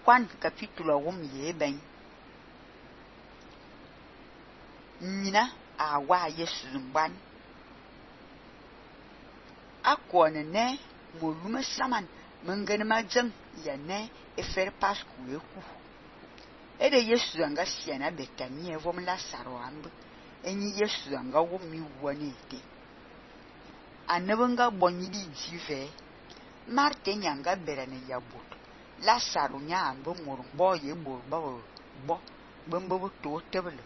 Juan capítulo 1 ye ben. Nina a wa Yesu mban. Akone ne molume saman mengene majeng ya ne efer pasku eku. Ede Yesu anga siana Betania vom Lazaro ambe. Enyi Yesu anga womi wane ete. Anebenga bonyidi jive. Marte nyanga berane yabut. Lazaro nya ambe morumbo ye bo bembo to tebele.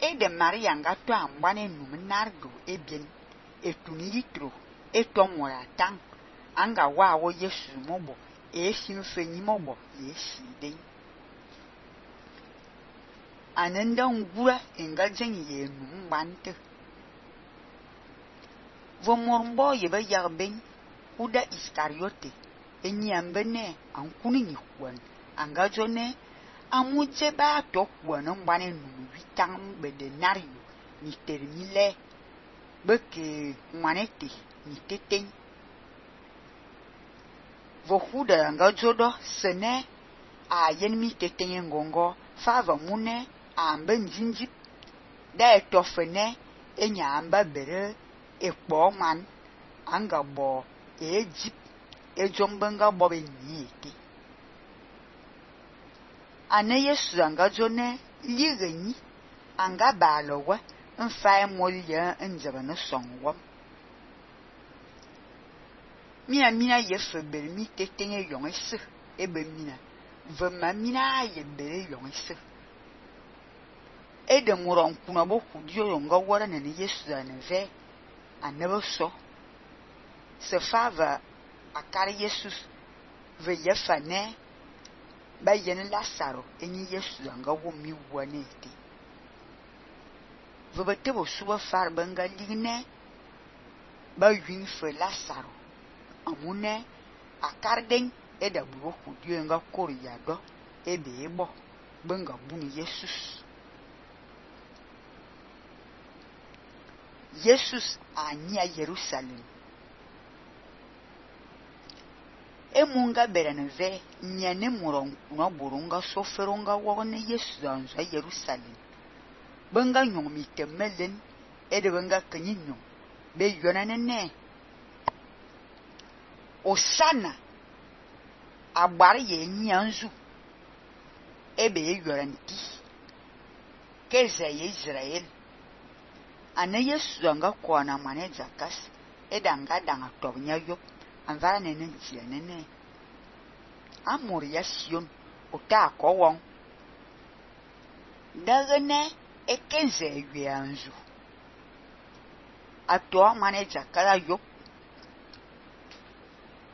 Ede Maria anga to ambane numenargo ebien. Etuni yitro. Etomora tang. Anga wawo Yesu mobo. Simfenyi mobo yesi den. Anenda ngura enga jengi ye numbante. Vomorumbo yebe yarben. Uda Iskariote. Enyi ambene ankuni nyikwan. Anga jone amuje ba tokwan mbane numu witang bedenario. Ni termile. Beke manete ni teteng. Vohuda anga jodo sene a yenmi teteng ngongo fava mune ambe njinjip da etofene enya amba bere ekpo man anga bo ejip ejombenga bobe niete. Ane Yesu anga jone ligenyi anga balowe mfa molye njebene songwom. Mina yefe bere mi tetenge yongese ebe mina. Vema mina ye bere yongese. Ede muron kuna boku diyo yonga wara nene Yesu aneve anebe so. Se fava akari Yesu ve yefa ne ba yene Lazaro enyi Yesu anga womi wane ete. Vebete bo suba far benga ligne ba yun fe Lazaro. Amune akarden eda bugo kudio nga kori yado ebe ebo benga buni Jesus. Jesus anya Jerusalem. Emunga beraneve nyane muron kuna burunga soferonga wone Yesu anza Jerusalem. Benga nyomi temelen ede benga kanyinyo be yonanene. Osana agbari ye nyanzu ebe ye yoranti keze ye Israel. Ane Yesu anga kwana mane jakas edanga danga tobnya yop anvara nene njia nene amori ya Sion ota kowon dagene ekenze yanzu ato mane jakala yop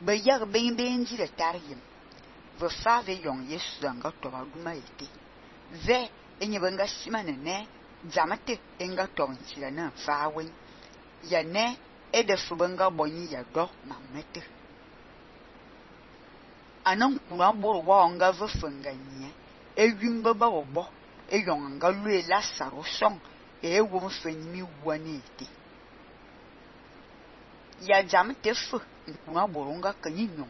be yag ben jire tariyem ve fave yon Yesu anga toba duma ete ve enye benga simane ne jamate enga tonchira na fawen ya ne ede fubenga bonyi ya do mamete anan kuna boro wa nga ve fenganye ewimbe ba obo eyon nga lue Lazaro song ewo mfenyi wane ete ya jamate fu nkuna boro nga kanyinyo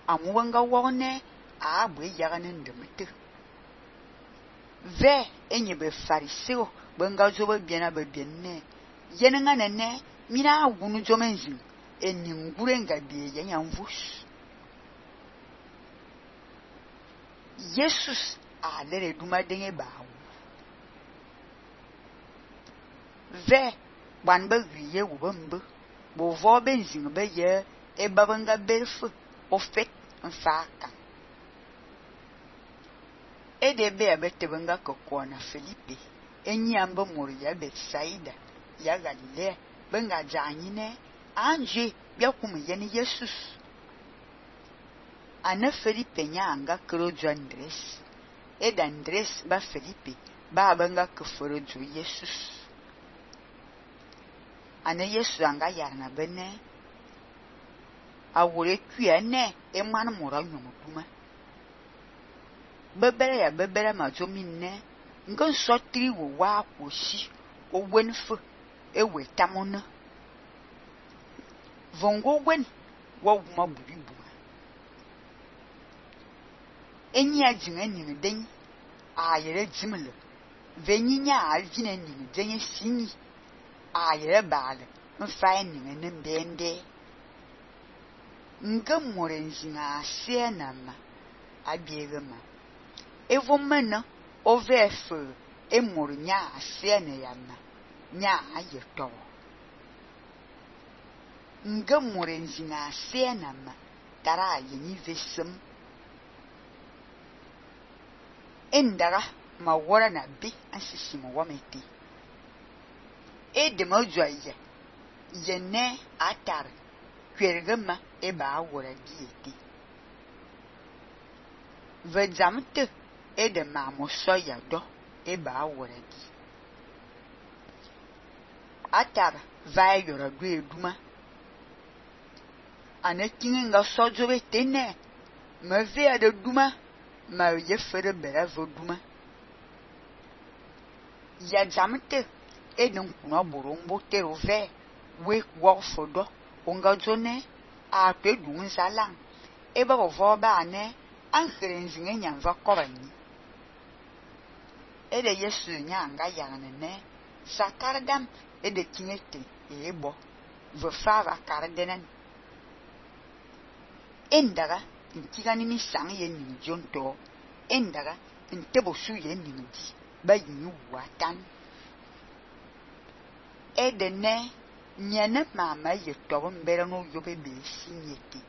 amuwenga wone abwe yagane ndemete ve enye be fariseo benga jobe biena be bienne yenenga nene mina agunu jomenjin eningure nga biye yanyamvus. Jesus alere duma denge bawo ve banbe wiye wubembe bo vo benzin be ye ebabenga berfu ofet mfaka edebe abetebenga kokona Felipe enyi ambe mori ya Betsaida ya Galilea benga janyine anje byakum yene Jesus. Ane Felipe nyanga krojo Andres eda Andres ba Felipe ba benga keforo jo Jesus. Ane Yesu anga yarna bene awore kuene emanu mora nyomutuma bebere ma jomine ngon sotri wo wa kwoshi owenfu ewe tamona vongo wen wo ma buribu Enya jinga ning den a yere jimle venyinya alvine ning den sinyi a yere bale mfa ning ne mbende ngamore jinga sienama abiegema evomena ovefe emor nya siene yana nya ayeto ngamore jinga sienama tara yini vesem endara ma wora na bi asisi mo wameti edema joye yene atar kwergema eba wora dieti vedzamte edema mo soya do eba wora di atar vai yora do eduma anakinga sojo betene ma vea de duma ma yefere bera voduma ya jamte edun kuna borombo terove we wo fodo onga jone a pedun salang eba bovo ba ne ankhrenzi nyamva kobani ede yesu nyanga yangane ne sakardam ede kinete ebo vo fava kardenen endara ntigani mi sang ye ni jonto endara ntebo su ye ni di ba yin watan edene nyane mama ye tobo mbere no yobe be sinyeti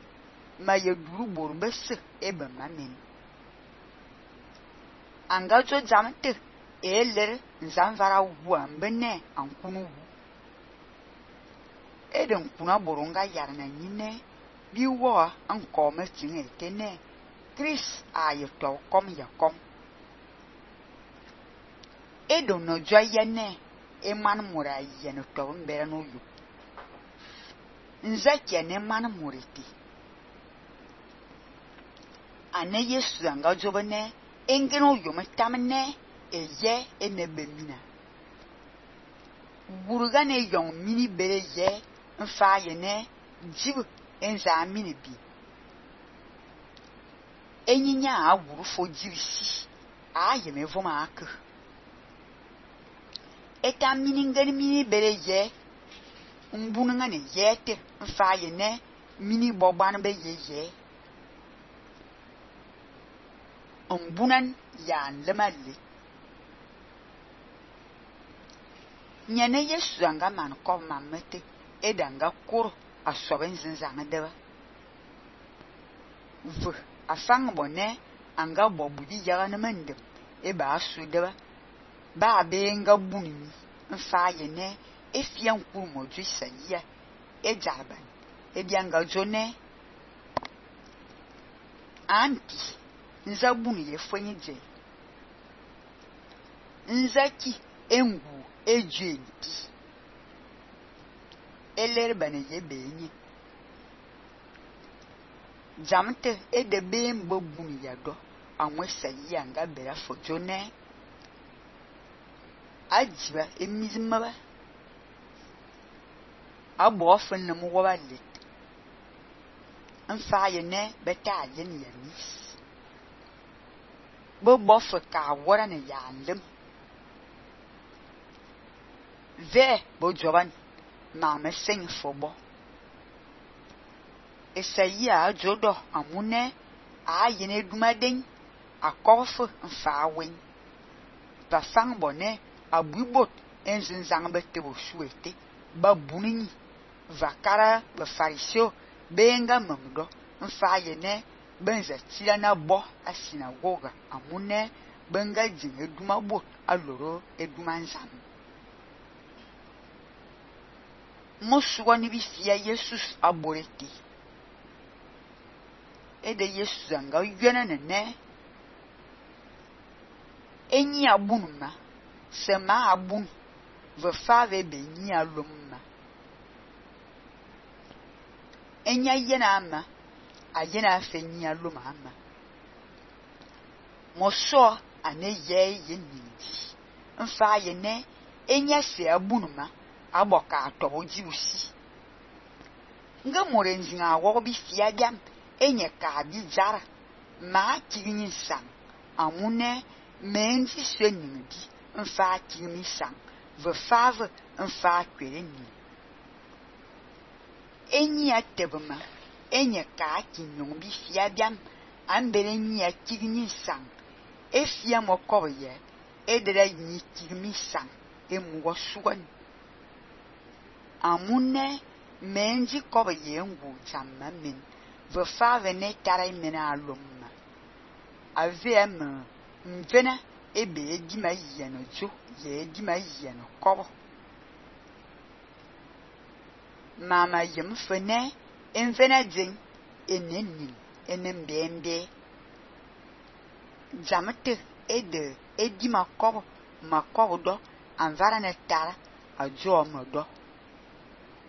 ma ye duru borbese ebe mamen anga jo jamte eler nzamvara wa mbene ankunu eden kuna boronga yarna nyine biwo ankome tinge tene Chris ayeto kom ya kom edo no joyene eman mura yene to mbere no yu nzake ne man muriti ane yesu anga jobene engeno yu metamne eye enebemina buruga ne yon mini bere ye mfa yene jibu enza mini bi enyinya aguru fo jirisi ayeme voma ak eta mini ngani mini bere ye mbununga ne yete mfa yene mini boban be ye mbunan ya lemali nyane yesu anga man ko mamete edanga kur asoben zinzanga deba vu afang bone anga bobudi yaga na mende e ba su deba ba be nga bunimi mfa yene efian kur mo juisa ya e jaban e bianga jone anti nzabuni ye fwenye je nzaki engu ejenti eler bane ye benye jamte edebe mbobuni yado anwe sayi anga bera fojone ajiba emizimaba abo ofin na mu wabalit mfa yene beta yen yamis bo bof ka wora ne yandem ve bo joban ma me sing fobo esayi a jodo amune a yene dumaden akofu mfa wen pa fang bone abubot enzinzang betebo suete ba bunini vakara ba farisio benga mamdo mfa yene benza tila na bo a sinagoga amune benga jinge duma bot aloro eduma nzam Moswa ni bifia Jesus aboreti ede Yesu anga yena ne enyi abunuma sema abun ve fave be nyi alumma enya yena ama ayena afe nyi aluma ama moso ane ye yenindi mfa yene enya se abunuma aboka atobo jiusi nga morenzinga wo bifia gam enye ka bi jara ma tigni sang amune menzi swening bi mfa tigni sang ve fave mfa kwere ni eni atebema enye ka kinyong bi fia biam ambere ni tigni sang e fia mokoye edere ni tigni sang e mugo sugan amune menzi koye ngu jamma min ve fave ne tare mena alumma avem mvena ebe di ma yeno jo ye di ma yeno kobo mama yem fene envena ding enenin enembembe jamate ede edi makobo do anvara ne tara ajo modo